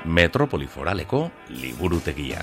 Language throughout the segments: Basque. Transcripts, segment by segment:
Metropoli Foraleko liburutegia.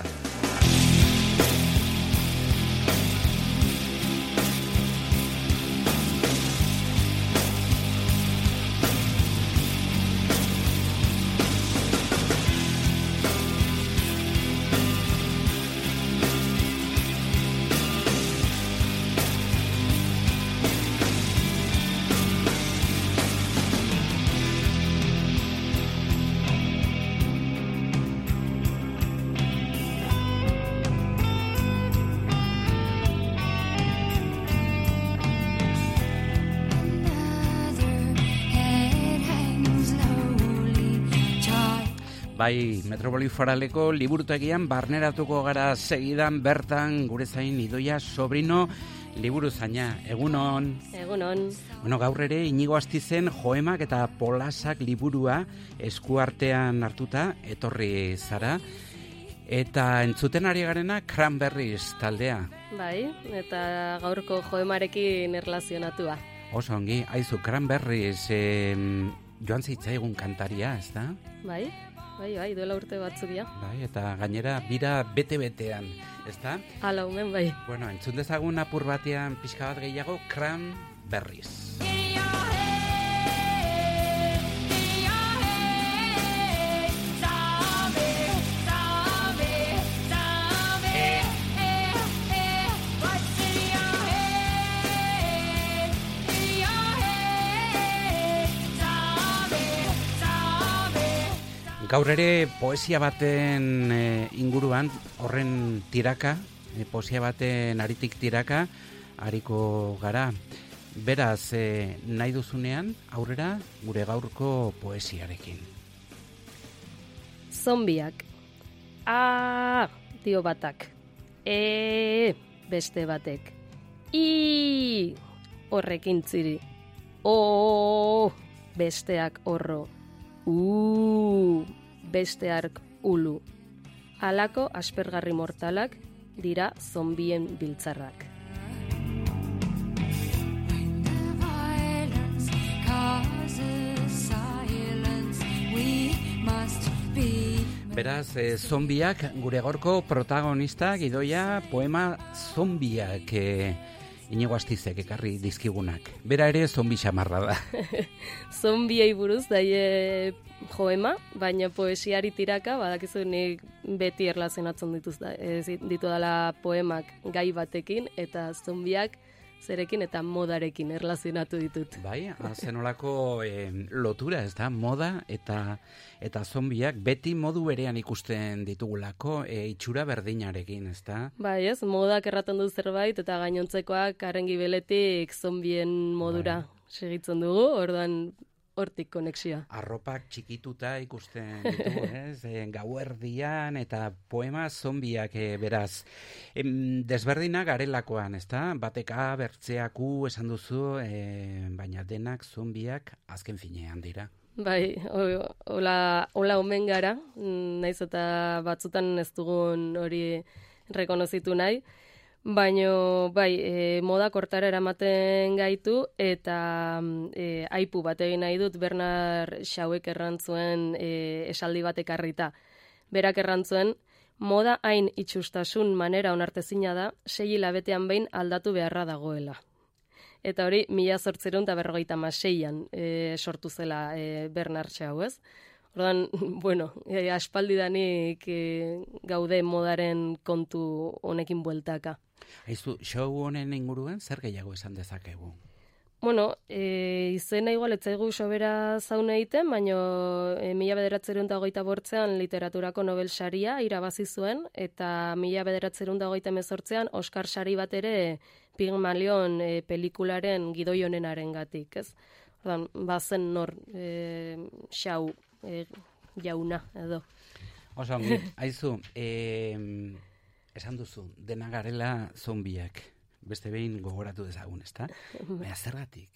Bai, Metropoli Foraleko liburutegian barneratuko gara segidan bertan gure zain Idoia Sobrino liburuzaina. Egunon. Egunon. Bueno, gaur ere Inigo Astizen Joemak eta Polasak liburua eskuartean hartuta etorri zara. Eta entzuten ari garena Cranberries taldea. Bai, eta gaurko Joemarekin erlazionatua. Oso ongi, aizu Cranberries joan zitzaigun kantaria, ez da? Bai, duela urte batzuk dira. Bai, eta gainera bira bete-betean, ezta? Hala, omen bai. Bueno, entzun dezagun apur batean pixka bat gehiago, Cranberries. Gaur ere poesia baten inguruan, horren tiraka, poesia baten aritik tiraka, ariko gara. Beraz, nahi duzunean, aurrera gure gaurko poesiarekin. Zombiak. Dio batak. Beste batek. Horrekin ziri. Besteak horro. Beste ark ulu. Halako aspergarri mortalak dira zombien biltzarrak. Beraz, zombiak gure gaurko protagonistak, Idoia, poema zombiak Inigo Astizek ekarri dizkigunak. Bera ere zombi xamarra da. Zombiei buruz daie joema, baina poesiari tiraka, badakizu nik beti erlazionatzen ditu dela poemak gai batekin, eta zombiak zerekin eta modarekin erlazionatu ditut. Bai, zenolako lotura, ez da, moda eta zombiak beti modu berean ikusten ditugulako, itxura berdinarekin, ez da? Bai, ez, modak erraten du zerbait, eta gainontzekoak haren gibeletik zombien modura segitzen dugu, orduan hortik konexioa. Arropak txikituta ikusten ditugu, ez? Gauerdian eta poema zombiak beraz. Desberdina garelakoan, ez da? Bateka, bertzeaku esan duzu, baina denak zombiak azken finean dira. Bai, hola omen gara, naiz eta batzutan ez dugun hori rekonozitu nahi, baina bai, moda kortara eramaten gaitu eta aipu bat egin nahi dut Bernard Shawek errantzuen esaldi bat ekarrita. Berak errantzuen, moda hain itxustasun manera onartezina da, 6 hilabetean behin aldatu beharra dagoela. Eta hori 1856an sortu zela Bernard Shaw, ez? Orduan, bueno, aspaldidanik gaude modaren kontu honekin bueltaka. Aizu, show honen inguruan zer gehiago esan dezakegu? Bueno, izena igual etzaigu sobera zaun egiten, baina 1928an literaturako Nobel saria irabazi zuen, eta 1928an Oscar sari bat ere Pigmalion pelikularen gidoi honenarengatik, ez? Orduan, bazen nor Shaw jauna edo. Oso, aizu, esan duzu, dena garela zombiak. Beste behin gogoratu dezagun, ezta? Baina zergatik?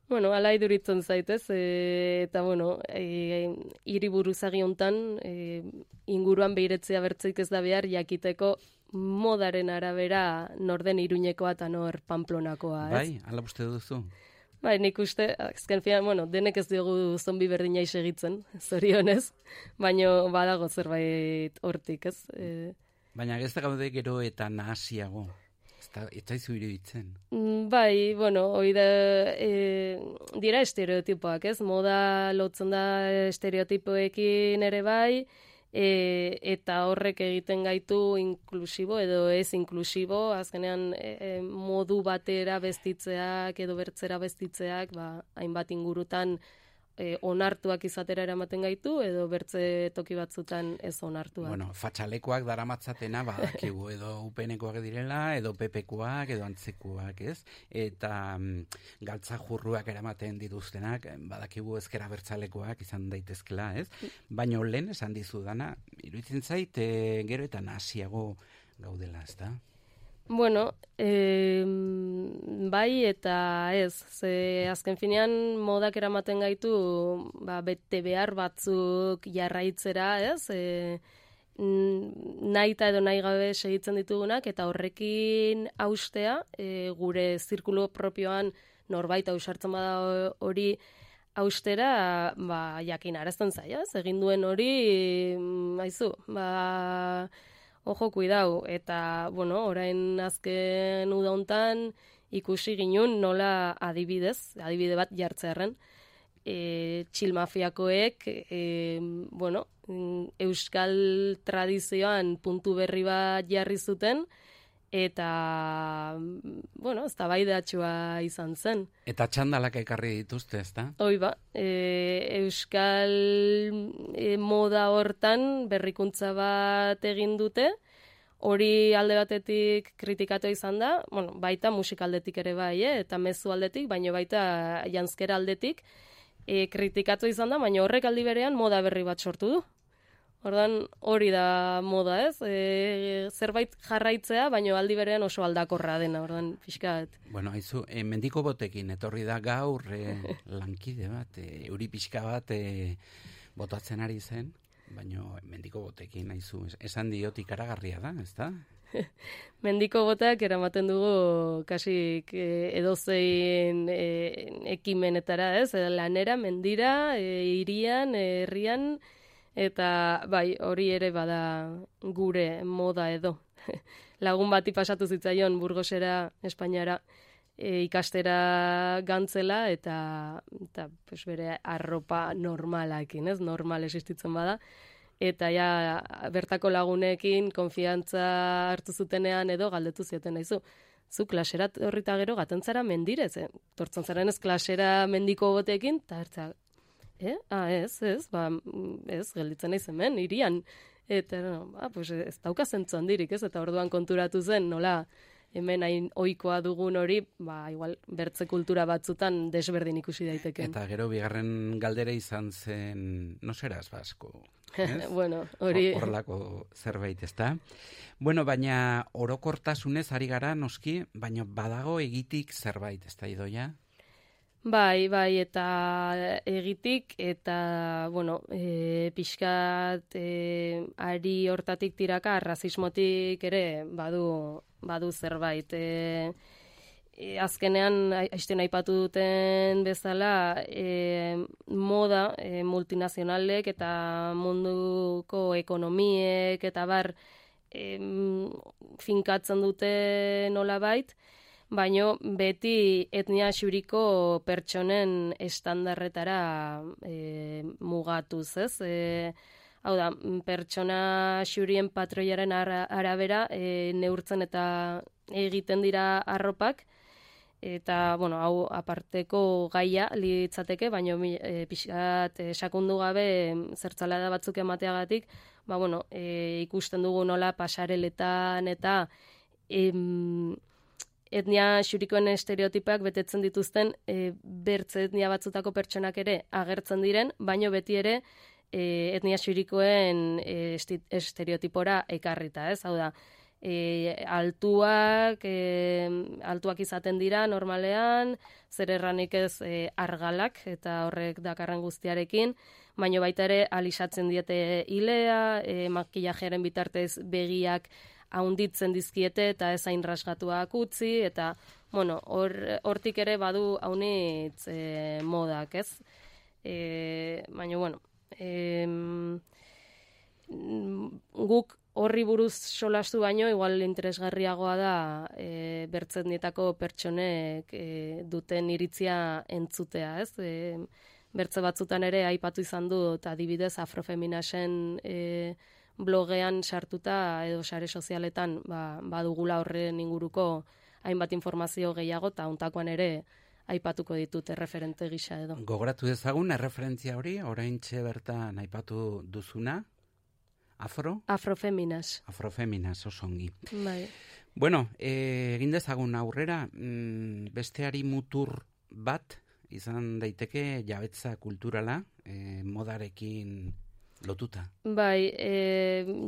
Bueno, ala iduritzen zaitez, eta bueno, hiriburuzagi hontan inguruan behiretzea bertzeik ez da behar jakiteko modaren arabera nor den Iruñekoa eta nor Pamplonakoa, ez? Bai, ala uste duzu? Bai, nik uste, azken fian, denek ez diogu zombi berdina segitzen, zorionez, baina badago zerbait hortik, ez? Baina ez da gaude gero eta nahasiago, ez daizu iruditzen. Bai, hori da, dira estereotipoak, ez? Moda lotzen da estereotipoekin ere bai, eta horrek egiten gaitu inklusibo edo ez inklusibo, azkenean modu batera bestitzeak edo bertzera bestitzeak, hainbat ingurutan onartuak izatera eramaten gaitu edo bertze toki batzutan ez onartuak. Fatxalekoak daramatzatena badakigu edo UPNkoak direla, edo PPkoak, edo antzekuak, ez? Eta galtza jurruak eramaten dituztenak, badakigu ezkera bertzalekoak izan daitezkela, ez? Baina lehen esan dizudana, iruditzen zait, gero eta nahasiago gaudela, ez da? Bai eta ez, ze azken finean modak eramaten gaitu bete behar batzuk jarraitzera, ez? Nahita edo nahi gabe segitzen ditugunak eta horrekin haustea, gure zirkulo propioan norbait ausartzen bada hori haustera, jakinarazten zaia, ez? Egin duen hori, haizu, ojo, kuidau, eta, orain azken uda hontan ikusi ginun nola adibide bat jartzearren, txilmafiakoek, euskal tradizioan puntu berri bat jarri zuten, eta, eztabaidatsua izan zen. Eta txandalak ekarri dituzte, ezta? Hoi euskal moda hortan berrikuntza bat egin dute, hori alde batetik kritikatu izan da, baita musikaldetik ere bai, eta mezu aldetik, baina baita janzkera aldetik, kritikatu izan da, baina horrek aldi berean moda berri bat sortu du. Ordan hori da moda, ez? Zerbait jarraitzea, baina aldi berean oso aldakorra dena, ordan pixkat. Haizu, mendiko botekin, etorri da gaur lankide bat, euri pixka bat botatzen ari zen, baina mendiko botekin, haizu, esan diot ikaragarria da, ez da? Mendiko botak eramaten dugu kasik edozein ekimenetara, ez? Lanera, mendira, hirian, herrian, eta bai, hori ere bada gure moda edo. Lagun bati pasatu zitzaion Burgosera, Espainiara, ikastera gantzela, eta bere arropa normalakin, ez? Normal existitzen bada. Eta bertako lagunekin konfiantza hartu zutenean edo galdetu zioten naizu. Zu klasera horrita gero gatentzara mendirez, tortzen zaren ez klasera mendiko botekin, eta hartza, ez, gelditzen naiz hemen, hirian. Eta, ez dauka zentzu handirik, ez? Eta orduan konturatu zen, nola, hemen hain ohikoa dugun hori, igual, bertze kultura batzutan desberdin ikusi daiteke. Eta gero bigarren galdera izan zen, no seras basko, ez? Hori... Horrelako zerbait, ez da? Baina orokortasunez ari gara, noski, baina badago egitik zerbait, ez da, Idoia? Bai, eta egitik, eta, pixkat ari hortatik tiraka, rasismotik ere badu zerbait. Azkenean, aizten aipatu duten bezala, moda multinazionalek eta munduko ekonomiek eta finkatzen dute nolabait, baina beti etnia xuriko pertsonen estandarretara mugatuz, ez? Hau da, pertsona xurien patroiaren arabera neurtzen eta egiten dira arropak, eta, hau aparteko gaia litzateke, baina pixkat sakundu gabe zertzalada batzuk emateagatik, ikusten dugu nola pasareletan eta etnia xurikoen estereotipak betetzen dituzten bertze etnia batzutako pertsonak ere agertzen diren, baino beti ere etnia xurikoen estereotipora ekarrita, ez? Hau da, altuak izaten dira normalean, zer erranik ez argalak eta horrek dakarren guztiarekin, baino baita ere alisatzen diete ilea, makillajeren bitartez begiak haunditzen dizkiete eta ez hain rasgatuak utzi, eta bueno, hortik ere badu haunitz modak, ez? Baina, bueno, guk horri buruz solastu baino, igual interesgarriagoa da bertzendietako pertsonek duten iritzia entzutea, ez? Bertze batzutan ere aipatu izan du, eta adibidez Afrofeminasen blogean sartuta edo sare sozialetan badugula horren inguruko hainbat informazio gehiago, eta hontakoan ere aipatuko ditut erreferente gisa edo. Gogoratu dezagun erreferentzia hori, oraintxe bertan aipatu duzuna, Afrofeminas. Afrofeminas, oso ongi. Bai. Bueno, egin dezagun aurrera, besteari mutur bat izan daiteke jabetza kulturala, modarekin lotuta. Bai,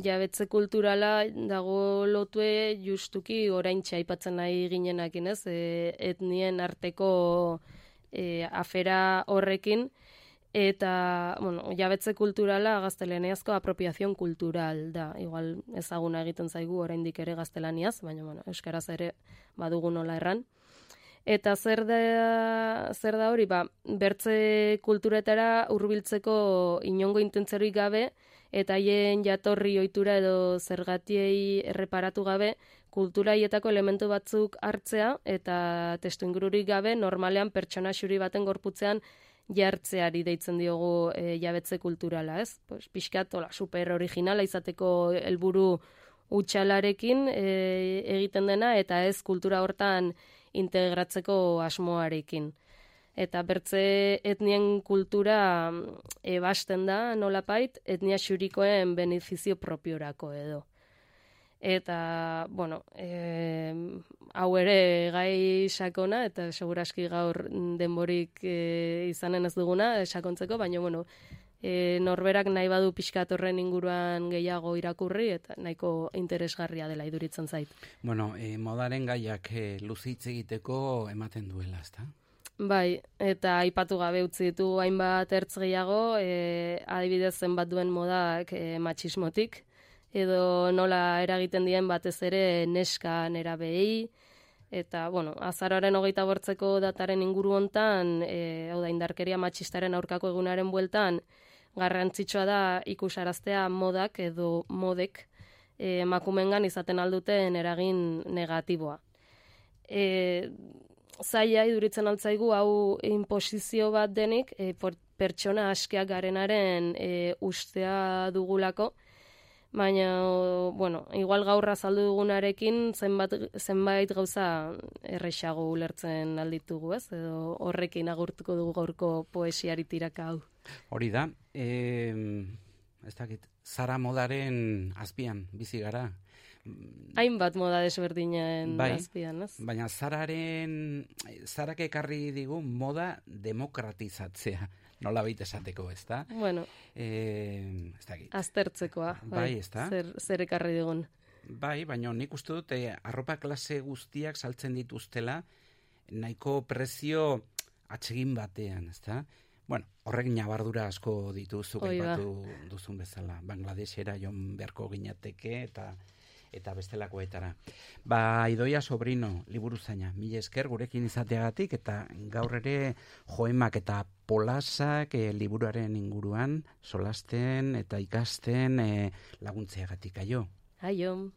jabetze kulturala dago lotue justuki oraintxe aipatzen nahi ginenakin, ez? Etnien arteko afera horrekin, eta, bueno, jabetze kulturala gaztelaniazko apropiazion kultural da. Igual ezaguna egiten zaigu oraindik ere gaztelaniaz, baina, bueno, euskaraz ere badugu nola erran. Eta zer da hori, bertze kulturetara hurbiltzeko inongo intentzeroik gabe, eta haien jatorri ohitura edo zergatiei erreparatu gabe, kultura haietako elementu batzuk hartzea, eta testuingururik gabe, normalean pertsona xuri baten gorputzean jartzeari deitzen diogu jabetze kulturala, ez? Pues, pixkat, super originala izateko helburu hutsalarekin egiten dena, eta ez kultura hortan integratzeko asmoarekin. Eta bertze etnien kultura ebasten da nolapait, etnia xurikoen benefizio propiorako edo. Eta, bueno, hau ere gai sakona, eta seguraski gaur denborik izanen ez duguna sakontzeko, baina, bueno, norberak nahi badu pixkat horren inguruan gehiago irakurri, eta nahiko interesgarria dela iduritzen zait. Bueno, modaren gaiak luzitz egiteko ematen duela, ezta? Bai, eta aipatu gabe utzi ditu hainbat ertz gehiago, adibidez zenbat duen modak matxismotik, edo nola eragiten dien batez ere neska nerabei, eta, bueno, azaroaren 28ko dataren inguru hontan, hau da, indarkeria matxistaren aurkako egunaren bueltan, garrantzitsua da ikusaraztea modak edo modek emakumengan izaten alduten eragin negatiboa. Zaila iduritzen altzaigu hau inposizio bat denik, pertsona askeak garenaren ustea dugulako, baina, bueno, igual gaur azaldu dugunarekin zenbait gauza errexago ulertzen alditugu, ez? Edo horrekin agurtuko dugu gaurko poesiari tiraka hau. Hori da, ez dakit, zara modaren azpian bizi gara. Hainbat moda desberdinen bai, azpian, ez? Baina zarak ekarri digu moda demokratizatzea. Nola baita esateko, ez da? Bueno, ez dakit. aztertzekoa. Bai, ez da? Zer ekarri digun. Bai, baina nik uste dut arropa klase guztiak saltzen dituztela nahiko prezio atsegin batean, ez da? Bueno, horrek nabardura asko dituzuk aipatu duzun bezala. Bangladesera joan beharko ginateke eta bestelakoetara. Idoia Sobrino, liburuzaina, mila esker gurekin izateagatik, eta gaur ere joemak eta polasak liburuaren inguruan solasten eta ikasten laguntzeagatik, aio. Aio.